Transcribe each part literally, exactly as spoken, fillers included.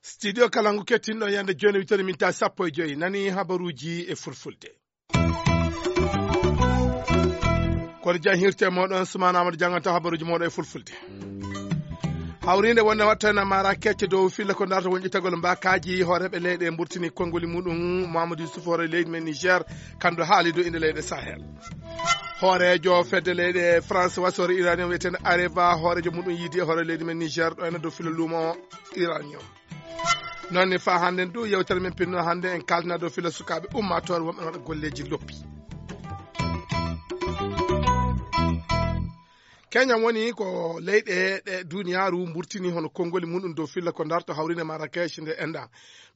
Studio Kalangu kettinɗo yande jooni wittori minta sappo e joyi, nani habaruuji e fulfulde. Kono jan hirte moɗon, Sumana Amadou janganta habaruuji moɗon e fulfulde. Hawrinde wonde watta na Marrakech dow filla ko darta wonƴitagol mbakaji hooreɓe leyɗe mburtini konngoli muɗum. Mamadou Youssouf, hoore leydi men Niger, kandu haali dow inde leyɗe Sahel. Hoorejo fedde leyɗe France wasore Iranien wiyeten Areva, hoorejo muɗum yiidi e hoore leydi men Niger ɗo ena dow filla luumo Iranien. Noon ne faa hannden du yewtere men pinno hannde en kaltina dow filla sukaaɓe ummaatoore wonɓe waɗa golleeji loppi. Kenya woni ko leyɗe ɗe duniyaaru mburtini hono konngoli muɗum dow filla ko darto hawrine Marrakech nde enda.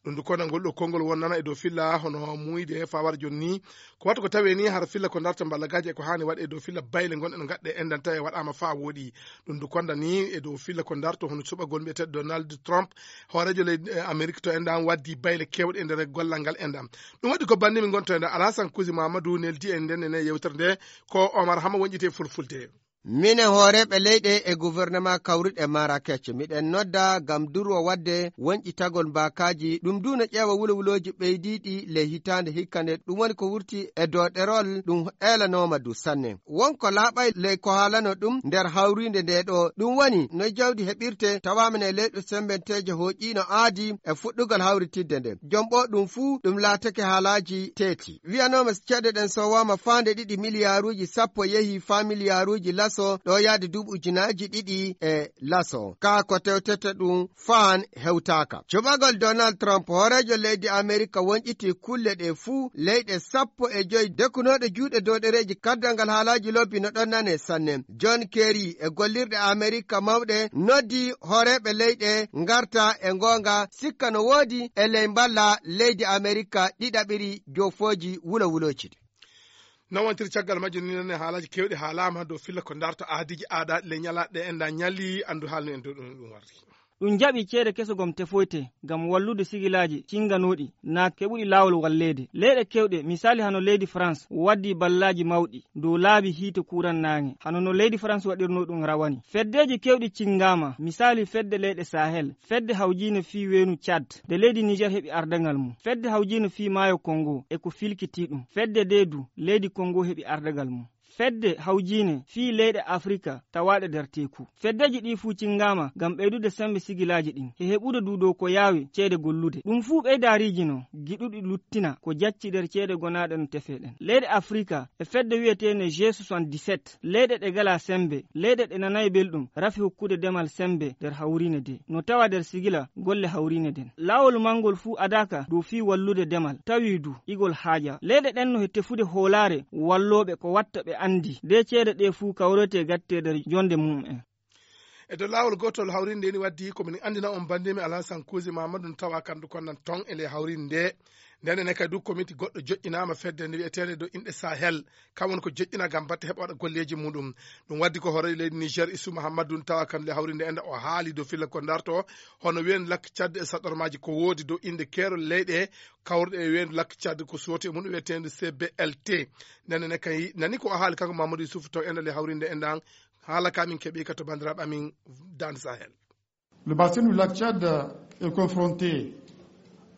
Ɗum du kono ngol ɗo konngol wonnana e dow filla hono muuyde fawar jonni. Ko wata ko tawe ni har filla ko darto mballagaaji e ko haani waɗe e dow filla bayle ngonɗe no gaɗɗe endan tawi waɗaama faa wooɗi. Ɗum du konda ni e dow filla ko darto hono suɓagol mbiyeteeɗo Donald Trump, hooreejo leydi Amerik to endan waddi bayle kewɗe e nder gollal ngal endan. Ɗum waɗi ko banndi min ngonto endan Alasan Kusi Mamadou neldi en nden e yewtere nde. Ko Omar Hama wonƴite fulfulde. Minen hooreeɓe leyɗe e gouvernement kawruɗe Marrakech, miɗen nodda ngam durwo waɗde wonƴitagol mbaakaaji, ɗum du no ƴeewa wulowulooji ɓeydiiɗi ley hitaande hikka nde, ɗum woni ko wurti e doɗerol, ɗum eelanooma du sanne. Won ko laaɓay ley ko haalano ɗum nder hawriinde nde ɗo, ɗum woni no jawdi heɓirte tawaama ne leyɗe sembenteeje hooƴiino aadi e fuɗɗugol hawritidde nde. Jom ɓo ɗum fuu ɗum laatake haalaaji teeti. Wiyanooma ceede ɗen sowaama faande ɗiɗi miliyaaruuji sappo yehi faa miliyaaruuji laso ɗo yaade duuɓi ujunaaji ɗiɗi e laso. Kaa ko tewtete ɗum faan hewtaaka. Cuɓagol Donald Trump, hooreejo leydi Amerika wonƴiti kulle ɗe fuu, leyɗe sappo e joy dekunooɗe juuɗe dow ɗereeji kaddal ngal haalaaji lobbi no ɗon nane sanne. John Kerry e gollirɗe Amerika mawɗe noddi hooreeɓe leyɗe ngarta e ngoonga sikka no woodi e ley mballa leydi Amerika ɗiɗaɓiri jofooji wulowulooji ɗi. Noon wontiri caggal majjum ni noon e haalaaji keewɗi haalaama dow filla ko darto aadiiji aadaaɗi ley ñalaaɗe ɗe enda ñalli anndu haalnu en dow ɗum ɗum warti. Ɗum jaɓi ceede keso gom tefoyte ngam wallude sigilaaji cinnganooɗi naat keɓuɗi laawol walleede. Leyɗe keewɗe, misaali hano leydi France, waddi ballaaji mawɗi dow laabi hiite kuuran naange, hano no leydi France waɗirnoo ɗum rawani. Feddeeji keewɗi cinngaama, misaali fedde leyɗe Sahel, fedde hawjiine fii weenu Tchad, de leydi Niger heɓi ardagal mum. Fedde hawjiine fii maayo Congo e ko filkitii ɗum. Fedde dee du, leydi Congo heɓi ardagal mum. Fedde hawjiine fii leyɗe Afrika tawaaɗe nder teeku. Feddeeji ɗii fuu cinngaama ngam ɓeydude semmbe sigilaaji ɗin, e heɓude du dow ko yaawi ceede gollude. Ɗum fuu ɓeydaariiji no giɗuɗi luttina ko jacci nder ceede gonaaɗe no tefee ɗen. Leyɗe Afrika e fedde wi'eteende G soixante-dix-sept, leyɗe ɗe ngalaa semmbe, leyɗe ɗe nanaay belɗum, rafi hokkude demal semmbe nder hawriine de. No tawa nder sigila golle hawriine den. Laawol mangol fuu adaaka dow fii wallude demal, tawi du igol haaja. Leyɗe ɗen no he tefude hoolaare wallooɓe ko watta ɓe anndi de ceede ɗe fuu kawretee gattee nder jonde mum en. E dow laawol gootol hawriinde ni waddi ko min anndina on banndimi Alasan Kuusi Mamadou no tawa kandu konnan ton e ley hawriinde nde. Nden ene kadi du komiti goɗɗo joƴƴinaama fedde nde wi'eteende dow inɗe Sahel. Kam woni ko joƴƴina ngam batte heɓa waɗa golleeji muɗum. Ɗum waddi ko hoore leydi Niger Isu Mahamadou no tawa kandu le hawriinde enda o haali dow filla ko darto hono ween lakk Tchad e saɗormaaji ko woodi dow innde keerol leyɗe kawruɗe e weendu lakk Tchad ko sooti e mum wi'eteende C B L T. Nden ene kay nani ko o haali kanko Mamadou Youssouf to enda le hawriinde endan. Haala ka min keɓi ka to banndiraaɓe amin Dande Sahel. Le bassin du lac Tchad est confronté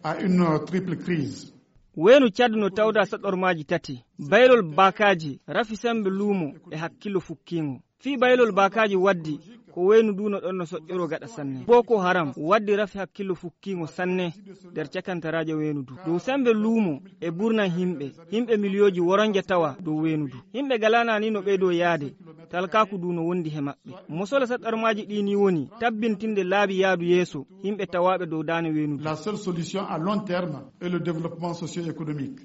à une triple crise. Weenu Tchad no tawda saɗormaaji tati, baylol baakaaji, rafi semmbe luumo e hakkillo fukkiingo. Fii baylol baakaaji waddi ko weenu du no ɗon no soƴƴoroo gaɗa sanne. Boko Haram waddi rafi hakkillo fukkiingo sanne nder cakantaraajo weenu du. Dow semmbe luumo e burnan himɓe, himɓe miliyooji woronje tawa dow weenu du. Himɓe galaana ni no ɓeydoo yaade, talkaaku du no wondi he maɓɓe. Mosol saɗormaaji ɗi ni woni tabbintinde laabi yaadu yeeso himɓe tawaaɓe dow daane weenu du. La seule solution à long terme est le développement socio-économique.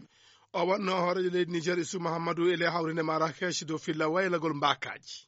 O wonno hooreejo leydi Niger Isu Mahamadou e ley hawriinde Marrakech dow filla waylagol mbaakaaji.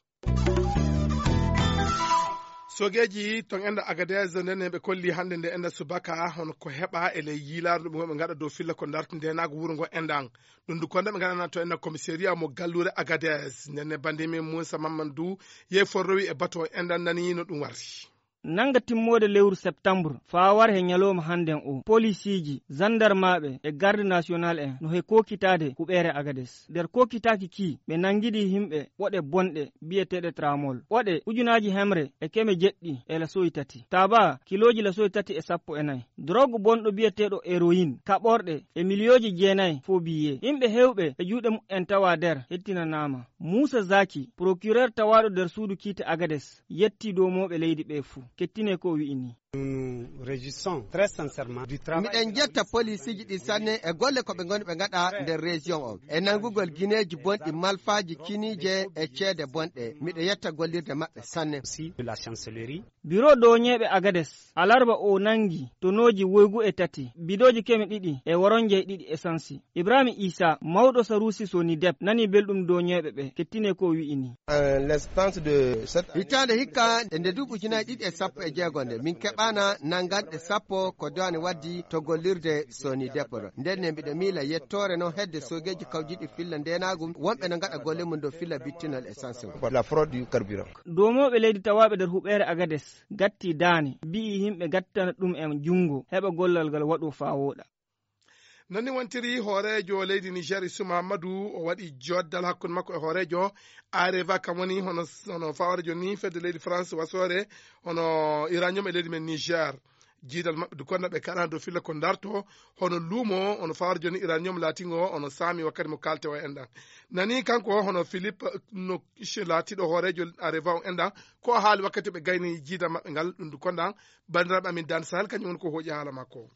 Sogeeji ton enda Agadez nden ɓe kolli hannde nde enda subaka hono ko heɓa e ley yiilaaru ndu ɓe ngaɗa dow filla ko darti ndenaagu wuro ngo endan. Ɗum du konda ɓe ngaɗana to enda commissariat mo galluure Agadez. Nden ne banndi min Moussa Mamadou du yehi forrowi e bato endan nani no ɗum warti. Nannga timmoode lewru septambur faa war he ñalooma hannden oo, polisiiji, sanndarmaaɓe e garde national en no he kookitaade huɓeere Agades. Nder kookitaaki kii, ɓe nanngidii yimɓe ɓoɗe bonɗe biyeteeɗe tramol. Ɓoɗe ujunaaji hemre e keme jeɗɗi e lasoyi tati. Taabaa kilooji lasoyi tati e sappo e nayi. Drogue bonɗo biyeteeɗo héroïne, kaɓorɗe e miliyooji jeenayi faux billets. Yimɓe heewɓe e juuɗe muɓɓen tawaa nder hettinanaama. Muusa Zaki, procureur tawaaɗo nder suudu kiite Agades, yettii doomooɓe leydi ɓee fuu. Kettinee ko o wi'i nii. Miɗen njetta poliisiiji ɗi sanne e golle ko ɓe ngoni ɓe ngaɗa nder région on. E nanngugol gineeji bonɗi malfaaji kiniije e ceede bonɗe. Miɗo yetta gollirde maɓɓe sanne. Biro doñeeɓe Agades, alarba o nanngi tonooji woygu e tati, bidooji keme ɗiɗi e woronje ɗiɗi esansi. Ibrahima Isa, mawɗo Saruusi Sonidep, nani belɗum doñeeɓe ɓe, kettinee ko o wi'i nii. Hitaande hikka e nde duuɓi ujunaaji ɗiɗi e sappo e jeego nde, min keɓaana nannganɗe sappo ko diwaani waddi to gollirde Sonidep ɗo. Nden ne mbiɗo miila yettoore noon hedde soogeeji kawjiiɗi filla ndeenaagu, wonɓe no ngaɗa golle mum dow filla bittinal essence ngu. Doomooɓe leydi tawaaɓe nder huɓeere Agades gatti daane, mbi'i yimɓe gattana ɗum en junngo, heɓa gollal ngal waɗo faa wooɗa. Non ni wontiri hooreejo leydi Niger, Isu Mahammadu, o waɗi joddal hakkunde makko e hooreejo Areva, kam woni hono, hono fawre jooni fedde leydi France wasoore, hono uranium e leydi men Niger. Jiidal maɓɓe du konda ɓe kaɗa dow filla ko darto, hono luumo, hono fawre jooni uranium laatingo, hono saami wakkati mo kalte o enɗan. Nani kanko hono Philippe no laatiɗo hooreejo Areva o enɗan, ko haali wakkati ɓe gayni jiidal maɓɓe ngal, ɗum du konda, bandiraɓe amin Dan Sahel, kañum woni ko hooƴi haala makko.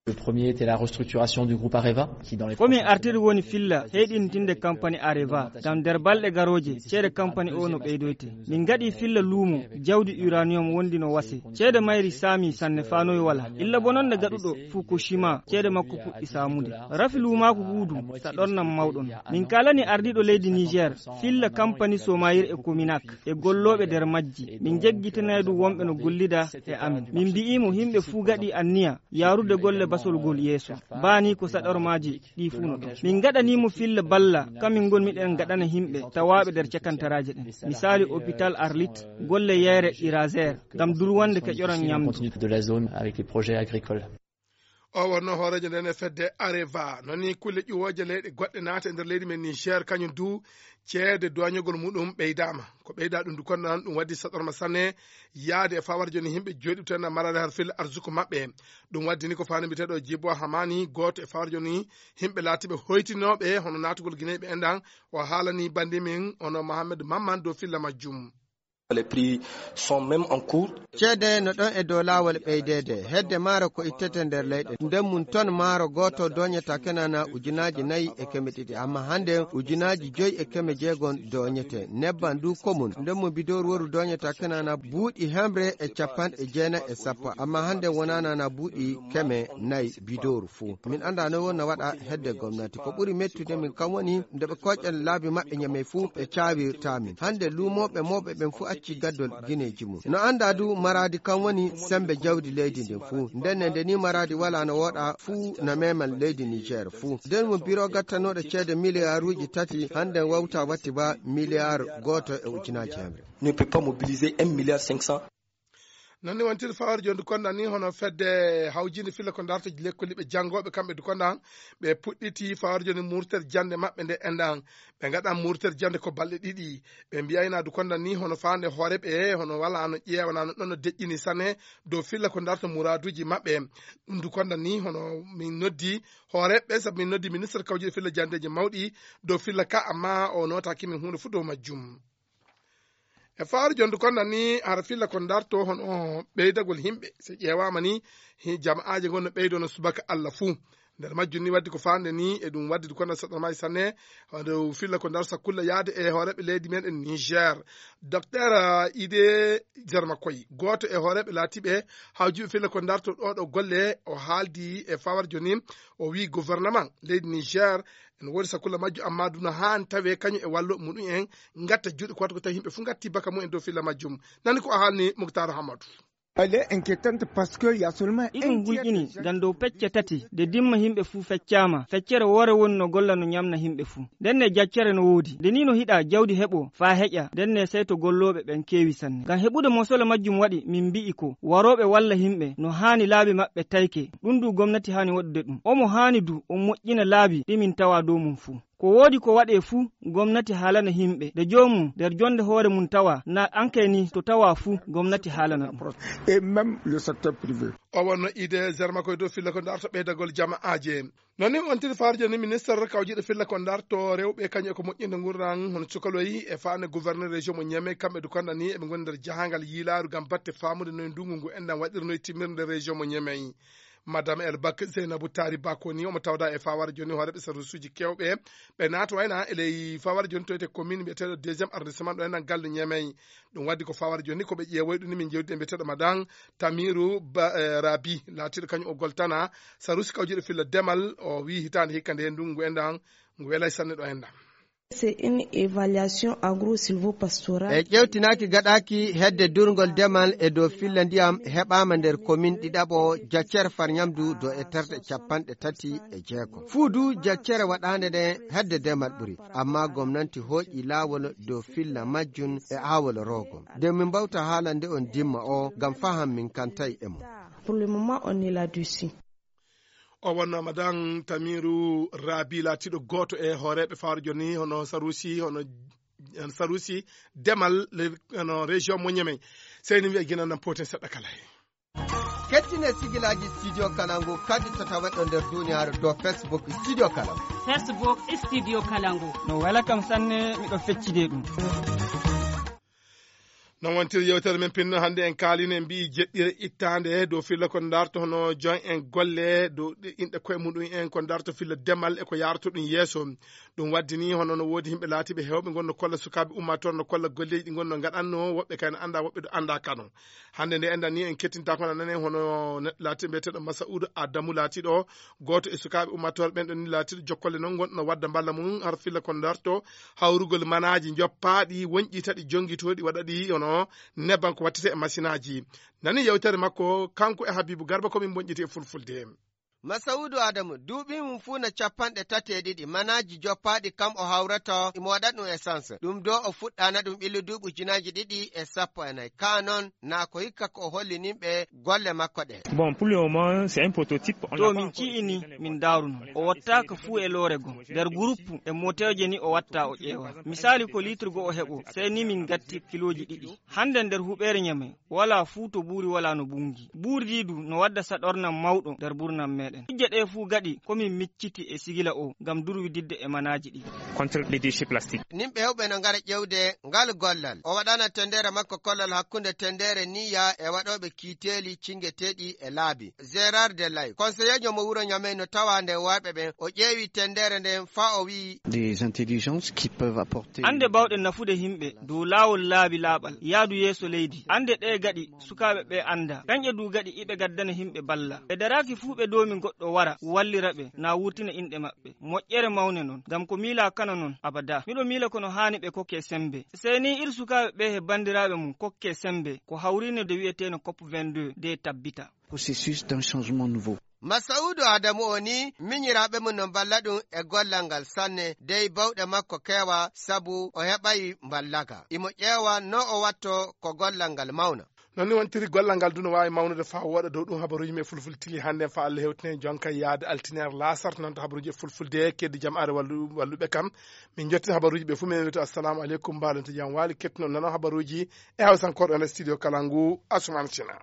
Le premier était la restructuration du groupe Areva, qui dans les... Ko min artiri woni filla heyɗintinde kampani Areva, ngam nder balɗe garooje, ceede kampani o no ɓeydoyte. Min ngaɗi filla luumo, jawdi uranium wondi no wase. Ceede mayri saami sanne faa noy wala. Illa bononde gaɗuɗo Fukushima, ceede makko puɗɗi saamude. Rafi luumaaku huudu, sa ɗonnam mawɗon. Min kaalani ardiiɗo leydi Niger, filla kampani Somayir e Kominak, e gollooɓe nder majji. Min jeggitinay du wonɓe no gollida e amin. Min mbi'imo himɓe fuu gaɗi anniya, yaarude golle basol gol yeeso. Baani ko saɗormaaji ɗi fuu no ɗon. Min ngaɗanii mo filla balla, kamin ngon miɗen ngaɗana yimɓe tawaaɓe nder cakantaraaje ɗen. Misaali, hôpital Arlit, golle yayre Irazer, ngam durwande keƴoran ñamdu. Continue de la zone avec les projets agricoles. O wonno hooreejo nden e fedde Areva. Non ni kulle ƴuwooje leyɗe goɗɗe naata e nder leydi men Niger, kañum du ceede doñogol muɗum ɓeydaama. Ko ɓeyda ɗum du konno ɗum waddi saɗorma sanne yaade e fawar jooni yimɓe jooɗi to en maraade har fil arsuku maɓɓe. Ɗum waddi ni ko faani mbiyeteeɗo Jibo Hamani, gooto e fawar jooni yimɓe laatiiɓe hoytinooɓe hono naatugol Guinée ɓe enɗan, o haalani bandi min hono Mohamed Mamman dow filla majjum. Les prix sont même en cours. Ceede no ɗon e dow laawol ɓeydeede. Hedde maaro ko ittete nder leyɗe. Nden mum ton maaro gooto doñata kenana ujunaaji nayi e keme ɗiɗi. Amma hannde ujunaaji joyi e keme jeegon doñete. Nebban du ko mum. Nden mum bidooru woru doñata kenana buuɗi hemre e capanɗe jeenayi e sappo. Amma hannde wonanana buuɗi keme nayi bidooru fuu. Min anndaa noy wonna waɗa hedde gomnati. Ko ɓuri mettude min kam woni nde ɓe kooƴan laabi maɓɓe ñamey fuu ɓe caawirta min. Hannde luumooɓe mawɓe ɓen fuu acci gaddol gineeji mum. No anndaa du maraadi kam woni semmbe jawdi leydi ndin fuu. Nden ne nde ni maraadi walaa no wooɗa fuu na meeman leydi Niger fuu. Nden mo biro gattanooɗo ceede miliyaaruuji tati hannde wawta watti ba miliyaar gooto e ujunaaji hemre. Ne peut pas mobiliser un milliard cinq cents. Non ni wontiri fawar jooni du kondan ni hono fedde hawjinde filla ko darta lekkoliɓe janngooɓe kamɓe du kondan ɓe puɗɗiti fawar jooni murter jannde maɓɓe nde enɗan. Ɓe ngaɗan murter jannde ko balɗe ɗiɗi. Ɓe mbiyayna du kondan ni hono faande hooreɓe hono wala no ƴeewana no ɗon no deƴƴini sanne dow filla ko darta muraaduuji maɓɓe. Ɗum du kondan ni hono min noddi hooreɓe sabu min noddi ministre kawjuɗo filla janndeeji mawɗi dow filla ka, amma o nootaki min huunde fuu dow majjum. E fawar jooni du kondan ni hara filla ko darto hono ɓeydagol yimɓe. So ƴeewaama ni hi-, jama'aaje ngon no ɓeydo no subaka Allah fuu. Nder majjum ni waddi ko faande ni e ɗum waddi du kondan saɗɗo maaji sanne. Hono filla ko darta kulla yaade e hooreɓe leydi men e Niger. Docteur, ah, Ide Zarmakoy, gooto e hooreɓe laatiiɓe hawjuɓe filla ko darto ɗo ɗo golle, o haaldi e fawar jooni, o wi gouvernement leydi Niger ene woodi sakulla majjo, amma duna haan tawe kañum e wallo muɗum en ngatta juuɗe ko watta ko tawi yimɓe fuu ngatti baka mumen dow filla majjum. Nani ko o haalni Muktar Hamadu. Elle est inquiétante parce que il y a seulement iɗum hulƴini ngam dow pecce tati de dimma yimɓe fuu feccaama. Feccere woore woni no golla no ñamna yimɓe fuu. Nden ne jaccere no woodi. Nde ni no hiɗa jawdi heɓo faa heƴa, nden ne sey to gollooɓe ɓen keewi sanne. Ngam heɓude mosole majjum waɗi min mbi'i ko warooɓe walla yimɓe no haani laabi maɓɓe tayke. Ɗum du gomnati haani waɗude ɗum. Omo haani du o moƴƴina laabi ɗi min tawa dow mum fuu. Ko woodi ko waɗee fuu, gomnati haalana yimɓe. De joomum nder jonde hoore mum tawa, na ankay ni to tawa fuu, gomnati haalana ɗum. Et même le secteur privé. O wonno ide zerma koye dow filla ko darto ɓeydagol jama'aaje. Noon ni ontiri faarjo ni ministre kawjiɗo filla ko darto rewɓe kañum e ko moƴƴinde ngurdan hono cukaloyi e faane gouverneur région mo ñeme kamɓe du kondani eɓe ngoni nder jahangal yiilaaru ngam batte faamude noye ndungu ngu enɗan waɗirnoy timmirde région mo ñemey. Madame el bak zeynabu taari bako ni omo tawda e fawara joni hooreɓe sarwisuji kewɓe ɓe naata wayna e ley fawara joni toyte commune mbiyeteɗo deuxiéme arrondissement ɗo enɗan galle ñemey. Ɗum waddi ko fawara joni ko ɓe ƴeewoy ɗum ni min jewdi e mbiyeteɗo madan tamiru rabi laatiɗo kañum o goltana sarusi kawjuɗo filla demal o wi hitande hikka nde ndungu enɗan ngu welay sanne ɗo enɗan. C'est une évaluation agro-silvopastorale. E ƴewtinaaki gaɗaaki hedde durngol demal e dow filla ndiyam heɓaama nder komin ɗiɗaɓo jaccere far ñamdu do e terɗe capanɗe tati e jeego. Fuu du jaccere waɗaande nde hedde demal ɓuri, amma gomnanti hooƴi laawol dow filla majjun e aawol roogo. Nde min mbawta haalande on dimma o ngam faham min kantay e mum. Pour le moment, on est là-dessus. O wonno madan tamiru rabi laatiɗo gooto e hooreɓe fawre joni hono sarusi hono sarusi demal hono région mo ñamey. Seyni wiya gina nan poten seɗɗa kala he. Kettine sigilaji studio kalangu kadi to taweɗo nder duniyaaru dow facebook studio kalangu. Facebook studio kalangu. No wela kam sanne, miɗo feccide ɗum. Non wontiri yewtere men pinno hannde en kaalino en mbiyi jeɗɗire ittaande dow filla ko darto hono jon en golle dow inɗe koye muɗum en ko darto filla demal e ko yarto ɗum yeeso. Ɗum waddi ni hono no woodi yimɓe laatiɓe hewɓe ngonno kolla sukaaɓe ummatore no kolla golleji ɗi ngonno gaɗanno woɓɓe kay no annda woɓɓe ɗo annda kano. Hannde nde enɗan ni en kettinta kono nanen hono neɗɗo laatiɗo mbiyeteɗo masaudu adamu laatiɗo gooto e sukaaɓe ummatore ɓen ɗon ni laatiɗo jokkolle non gonɗo no wadda mballa mum har filla ko darto hawrugol manaaji njoppaaɗi wonƴi taɗi jonngitooɗi waɗaɗi hono nebban ko wattete e masinaaji. Nani yewtere makko kanko e habibu garba komin bonƴiti e fulfulde. Masaudu adamu duuɓi mum fuu no capanɗe tati e ɗiɗi manaaji joppaaɗi kam o hawrata imo waɗa ɗum essence ɗum do o fuɗɗana ɗum ɓillu duuɓi ujunaaji ɗiɗi e sappo e nayi ka non na ko hikka ko o hollininɓe golle makko ɗe. Bon, pour le moment c'est un prototype. To min ci'ini min ndaaruno o wattaaka fuu e loore goo nder guruppu e moteeje ni o watta o ƴeewa. Misaali ko litre goo o heɓo sey ni min gatti kilooji ɗiɗi. Hannde nder huɓeere ñame wala fuu to buuri wala no bunngi buurdi du no wadda saɗornam mawɗo nder burnam meɗen hijja ɗe fuu gaɗi ko min micciti e sigila o ngam durwididde e manaaji ɗi. Contre les déchets plastiques. Nimɓe hewɓe no ngara ƴewde ngal gollal o waɗana tendere makko kollal hakkunde tendere niya e waɗoɓe kiiteeli cingeteeɗi e laabi. Gérard de lay konseyeejo mo wuro ñamey no tawa nde warɓe ɓen o ƴeewi tendere nden faa o wi'i. Des intelligences qui peuvent apporter. Annde bawɗe nafude yimɓe dow laawol laabi laaɓal yaadu yeeso leydi annde ɗe gaɗi sukaaɓe ɓe annda kañƴe du gaɗi iɓe gaddana yimɓe balla ɓe daraaki fuu ɓe doomi goɗɗo wara wallira ɓe na wurtina inɗe maɓɓe. Moƴƴere mawne non ngam ko miila kano non abada miɗo miila kono haani ɓe kokke sembe sey ni ir sukaaɓe ɓe he banndiraaɓe mum kokke sembe ko hawrine de wi'eteeno cop vingt-deux de tabbita. Processus d'un changement nouveau. Masaudu adamu o ni miñiraaɓe mum no mballa ɗum e gollal ngal sanne dey bawɗe makko keewa sabu o heɓayi mballaka imo ƴeewa no o watto ko gollal ngal mawna. Noon ni wontiri gollal ngal du no waawi mawnude faa wooɗa dow ɗum habaruuji men fulfulde tili hannde en faa Allah hewtinen jonka yaade altine ar laasar noon to habaruuji e fulfulde keddi jam are walluɓe kam. Min jottin habaruuji ɓe fof min wiyto assalamu aleykum mbaalonto jam waali kettuno nano habaruuji e hawsankoore ɗo nder studio kala ngu asuman sina.